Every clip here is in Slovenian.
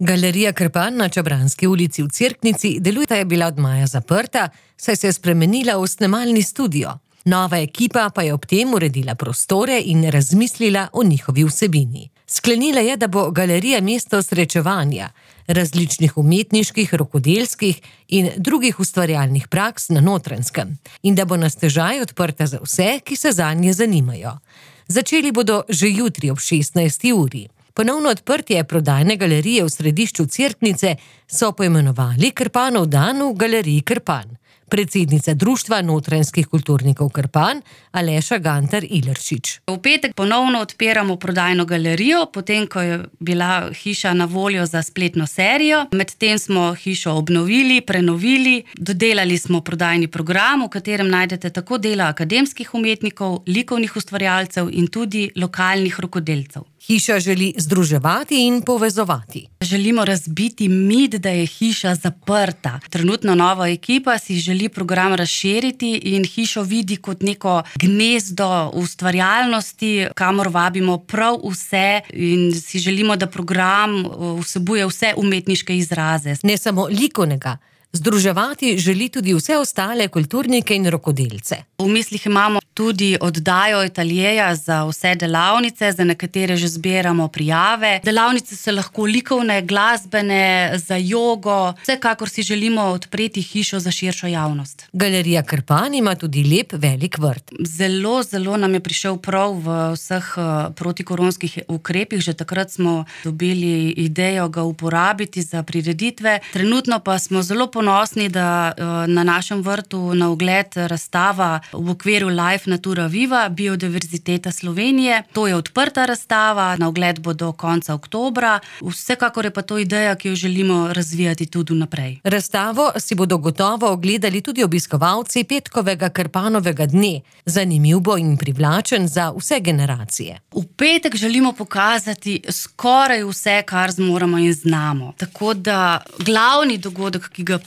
Galerija Krpan na Čabranski ulici v Cerknici je bila od maja zaprta, saj se je spremenila v snemalni studio. Nova ekipa pa je ob tem uredila prostore in razmislila o njihovi vsebini. Sklenila je, da bo galerija mesto srečevanja, različnih umetniških, rokodelskih in drugih ustvarjalnih praks na Notranjskem in da bo na stežaj odprta za vse, ki se zanje zanimajo. Začeli bodo že jutri ob 16. uri. Ponovno odprtje prodajne galerije v središču Cerknice so poimenovali Krpanov dan v galeriji Krpan. Predsednica Društva notranjskih kulturnikov Krpan, Aleša Gantar Ileršič. V petek ponovno odpiramo prodajno galerijo, potem ko je bila hiša na voljo za spletno serijo. Medtem smo hišo obnovili, prenovili, dodelali smo prodajni program, v katerem najdete tako dela akademskih umetnikov, likovnih ustvarjalcev in tudi lokalnih rokodelcev. Hiša želi združevati in povezovati. Želimo razbiti mit, da je hiša zaprta. Trenutno nova ekipa si želi program razširiti in hišo vidi kot neko gnezdo ustvarjalnosti, kamor vabimo prav vse in si želimo, da program vsebuje vse umetniške izraze. Ne samo likovnega. Združevati želi tudi vse ostale kulturnike in rokodelce. V mislih imamo tudi oddajo ateljeja za vse delavnice, za nekatere že zbiramo prijave. Delavnice so lahko likovne, glasbene, za jogo. Vsekakor si želimo odpreti hišo za širšo javnost. Galerija Krpan ima tudi lep velik vrt. Zelo nam je prišel prav v vseh protikoronskih ukrepih. Že takrat smo dobili idejo ga uporabiti za prireditve. Trenutno pa smo zelo ponosni, da na našem vrtu na ogled razstava v okviru Life Natura Viva, Biodiverziteta Slovenije. To je odprta razstava, na ogled bo do konca oktobra. Vsekakor je pa to ideja, ki jo želimo razvijati tudi naprej. Razstavo si bodo gotovo ogledali tudi obiskovalci petkovega Krpanovega dne. Zanimiv bo in privlačen za vse generacije. V petek želimo pokazati skoraj vse, kar zmoremo in znamo. Tako da glavni dogodek, ki ga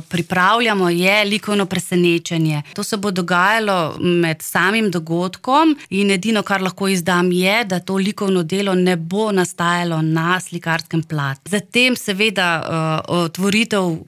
pripravljamo, je likovno presenečenje. To se bo dogajalo med samim dogodkom in edino, kar lahko izdam, je, da to likovno delo ne bo nastajalo na slikarskem platu. Zatem seveda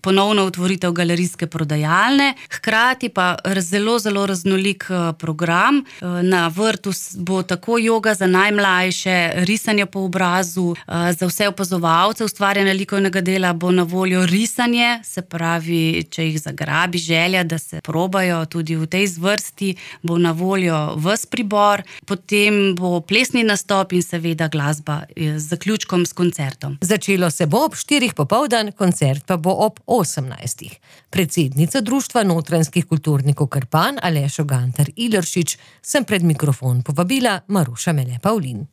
ponovno otvoritev galerijske prodajalne, hkrati pa zelo raznolik program. Na vrtu bo tako joga za najmlajše, risanje po obrazu, za vse opazovalce ustvarjanja likovnega dela bo na voljo risanje, se pravi, če jih zagrabi želja, da se probajo tudi v tej zvrsti, bo na voljo ves pribor, potem bo plesni nastop in seveda glasba z zaključkom s koncertom. Začelo se bo ob 4 popoldan, koncert pa bo ob 18. Predsednica Društva notranjskih kulturnikov Krpan, Alešo Gantar Ileršič, sem pred mikrofon povabila Maruša Mele Pavlin.